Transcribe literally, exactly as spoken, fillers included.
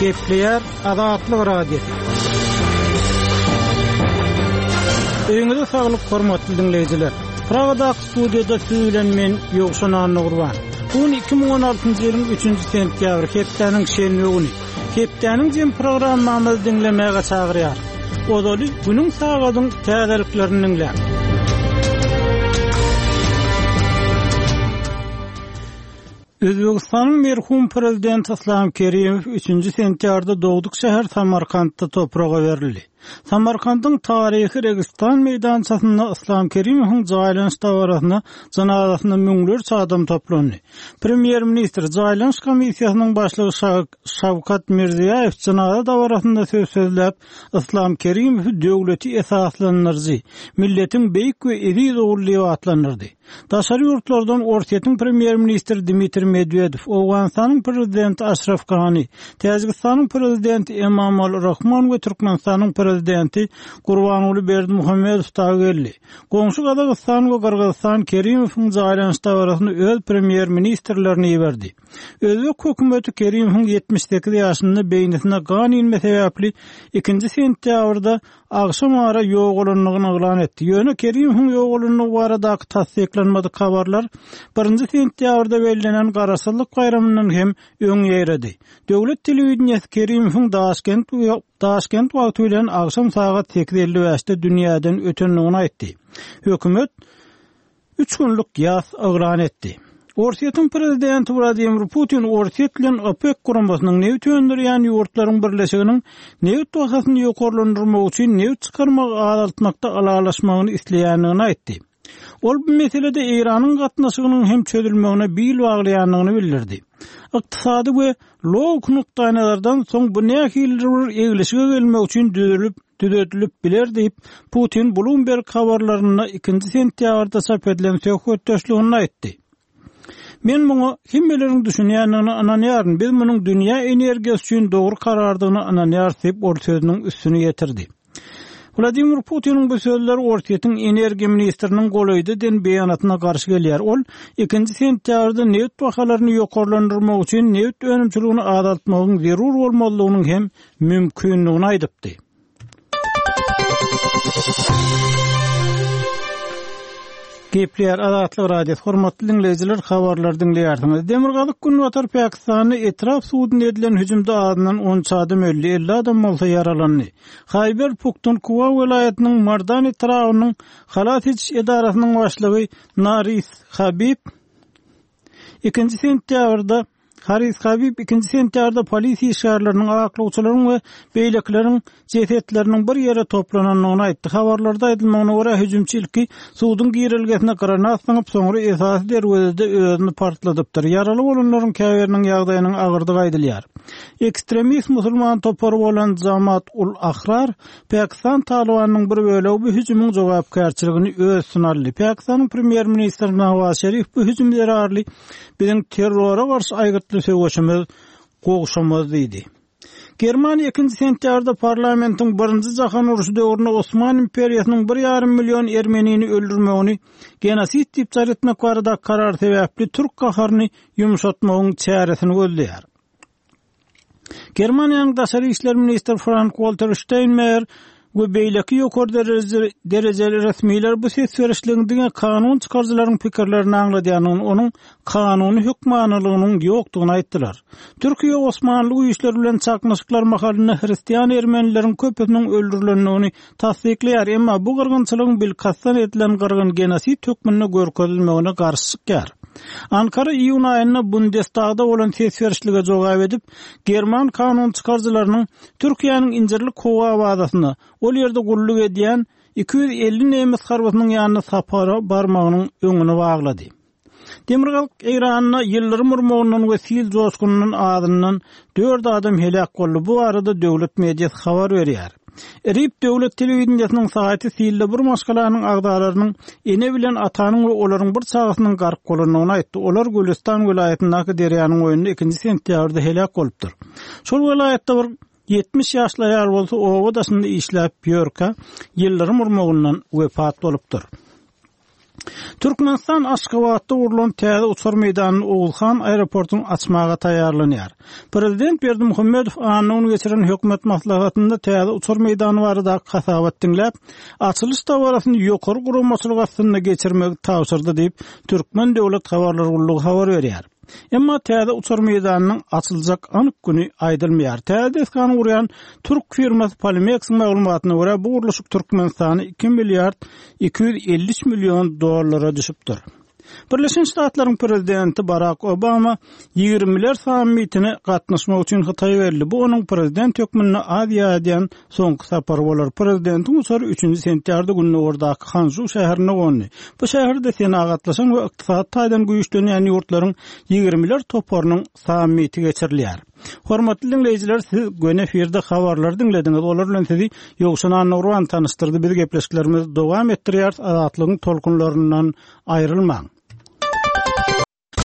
Gepleýär Azatlyk Radiosy. Öýüňize saglyk hormatly diňleýjiler. Pragadaky studiýada siz bilen men Ýowşan Annagurban. Bu gün iki müň on altynjy ýylyň üçünji sentýabry, hepdäniň şenbe güni. Hepdäniň jem programmamyzy diňlemäge çagyrýar. Ozaly günüň sagadyň täzeliklerini diňläň. Özbekistanyň merhum prezidenti Islam Kerimow üçünji sentýabrda dogduk şäher Samarkantda topraga berildi. Samarkandyň taryhy Registan meýdançasynda Islam Kerimowyň jaýlanyş dabarasyna janazasyna müňlerçe adam toplandy. Premýer-ministr jaýlanyş komissiýasynyň başlygy Şa-, Şawkat Mirziýaýew janaza dabarasynda söz sözläp, Islam Kerimowy döwleti esaslandyryjy, milletiň beýik we eziz ogly diýip atlandyrdy. Daşary ýurtlardan Orsýetiň premýer-ministri Dmitriý Medwedew, Owganystanyň prezidenti Aşraf Gani, Täjigistanyň prezidenti Emomali Rahmon we Türkmenistanyň prezidenti Gurbanguly Berdimuhamedow dagy geldi. Goňşy Gazagystan we Gyrgyzystan Kerimowyň jaýlanyş dabarasyny öz premýer-ministrlerini iberdi. Özbek hökümeti Kerimowyň ýetmiş sekiz ýaşynda beýnisine gan inme sebäpli ikinji sentýabrda agşam ara ýogalandygyny yglan etdi. Ýöne Kerimowyň ýogalandygy baradaky tassyklanmadyk habarlar birinji sentýabrda bellenen Garaşsyzlyk baýramyndan hem öň ýeredi. Döwlet telewideniýesi Kerimowyň Daşkent Daşkent wagty bilen agşam sagat sekiz elli bäşde dünýäden ötendigini aýtdy. Hökümet üç günlük ýas yglan etdi. Orsýetiň prezidenti Wladimir Putin Orsýet bilen OPEC guramasynyň neft öndürýän ýurtlaryň birleşiginiň neft bahasyny ýokarlandyrmak üçin neft çykarmagy azaltmakda ylalaşmagyny isleýändigini aýtdy. Ol bu meselede Eýranyň gatnaşygynyň hem çözülmegine bil baglaýandygyny bildirdi. Ykdysady we logik nukdaýnazardan soň bu nähilidir bir eglişige gelmek üçin düzülip, düzedilip biler diýip, Putin Bloomberg habarlarynda ikinji sentýabrda çap edilen söhbetdeşliginde aýtdy. Men muňa hemmeleriň düşünýändigine ynanýaryn. Biz munuň dünýä energiýasy üçin dogry karardygyna ynanýarys diýip, ol sözüniň üstüni ýetirdi. Wladimir Putiniň bu sözleri Orsýetiň energiýa ministriniň golaýda den beýanatyna garşy gelýär. Ol ikinji sentýabrda neft bahalaryny ýokarlandyrmak üçin neft önümçiligini azaltmagyň zerur bolmazlygynyň hem mümkinligini aýdypdy. Gepleýär Azatlyk Radiosy, hormatly diňleýjiler, habarlar diňleýärsiňiz. Demirgazyk Günbatar Pakistanda etrap suduna edilen hüjümde azyndan on üç adam öldi, elli adam bolsa ýaralandy. Haýber Puktunkuwa welaýatynyň Mardan etrabynyň halas ediş edarasynyň başlygy Naris Habib ikinji sentýabrda Haris Habib ikinji sentýabrda polisiýa işgärleriniň, aklawçylaryň we beýlekileriň jesetleriniň bir ýere toplanandygyny aýtdy. Habarlarda aýdylmagyna görä hüjümçi ilki suduň girelgesine granat zyňyp, soňra esasy derwezede özüni partladypdyr. Ýaraly bolanlaryň käbiriniň ýagdaýynyň agyrdygy aýdylýar. Ekstremist musulman topary bolan Jamaat ul Ahrar Pakistan Talibanyň bir bölegi bu hüjümiň jogapkärçiligini öz üstüne aldy. Pakistanyň premýer-ministri Nawaz Şerif bu hüjüm zerarly biziň terrora garşy aýgytly söweşimiz gowşamaz diýdi. Germaniýa ikinji sentýabrda parlamentiň birinji jahan urşy döwründe Osman imperiýasynyň bir ýarym million ermenini öldürmegini genosid diýip jar etmek barada karar sebäpli türk gaharyny ýumşatmagyň çäresini gözleýär. Germaniýanyň daşary işler ministri Frank-Walter Steinmeier we beýleki ýokary derejeli, derejeli resmiler bu ses berişligiň diňe kanun çykaryjylaryň pikirlerini aňladýandygyny, onuň kanuny hökmanylygynyň ýokdugyny aýtdylar. Türkiýe Osmanly güýçleri bilen çaknyşyklar mahalynda hristian ermenileriň köpüsiniň öldürilendigini tassyklaýar, emma bu gyrgynçylygyň bilkastdan edilen gyrgyn genosid hökmünde görkezilmegine garşy çykýar. Ankara iýun aýynda Bundestagda bolan ses berişlige jogap edip, German kanun çykaryjylarynyň Türkiýäniň Incirlik howa bazasyna ol ýerde gulluk edýän iki ýüz elli nemes harbysynyň ýanyna sapara barmagynyň öňüni baglady. Demirgazyk Eýranda ýyldyrym urmagyndan we sil joşgunyndan azyndan dört adam heläk boldy. Bu arada döwlet mediasy habar berýär. Rip döwlet telewideniýesiniň saýty silde bir maşgalanyň agzalarynyň ene bilen atanyň we olaryň bir çagasynyň gark bolandygyny aýtdy. Olar Gülüstan welaýatyndaky derýanyň boýunda ikinji sentýabrda heläk bolupdyr. Şol welaýatda bir ýetmiş ýaşly aýal bolsa oba daşynda işläp ýörkä ýyldyrym urmagyndan wepat bolupdyr. Türkmenistan Aşgabatda gurlan täze uçar meýdanyny Oguzhan aeroportuny açmaga taýýarlanýar. Prezident Berdimuhamedow anna güni geçiren hökümet maslahatynda täze uçar meýdany baradaky hasabat diňläp, açylyş dabarasyny ýokary guramaçylyk astynda geçirmegi tabşyrdy diýip, Türkmen döwlet habarlar gullugy habar berýär. Emma täze uçar meýdanynyň açyljak anyk güni aýdylmaýar. Täze desgany gurýan türk firmasy Polimex-iň maglumatyna görä, bu gurluşyk Türkmenistana iki milliard iki ýüz elli üç million dollara düşüpdir. Birleşen Ştatlaryň prezidenti Barak Obama ýigrimiler sammitine gatnaşmak üçin Hytaýa geldi. Bu onuň prezident hökmünde Aziýa edýän soňky sapary bolar. Prezidentiň uçary üçünji sentýabrda gündogardaky Hanžu şäherinde gondy. Bu şäherde senagatlaşan we ykdysady taýdan güýçlenýän ýurtlaryň ýigrimiler toparynyň sammiti geçirilýär. Hormatly diňleýjiler, siz göni efirde habarlary diňlediňiz. Olar bilen sizi Ýowşan Annagurban tanyşdyrdy. Biz gepleşiklerimizi dowam etdirýäris. Azatlygyň tolkunlaryndan aýrylmaň.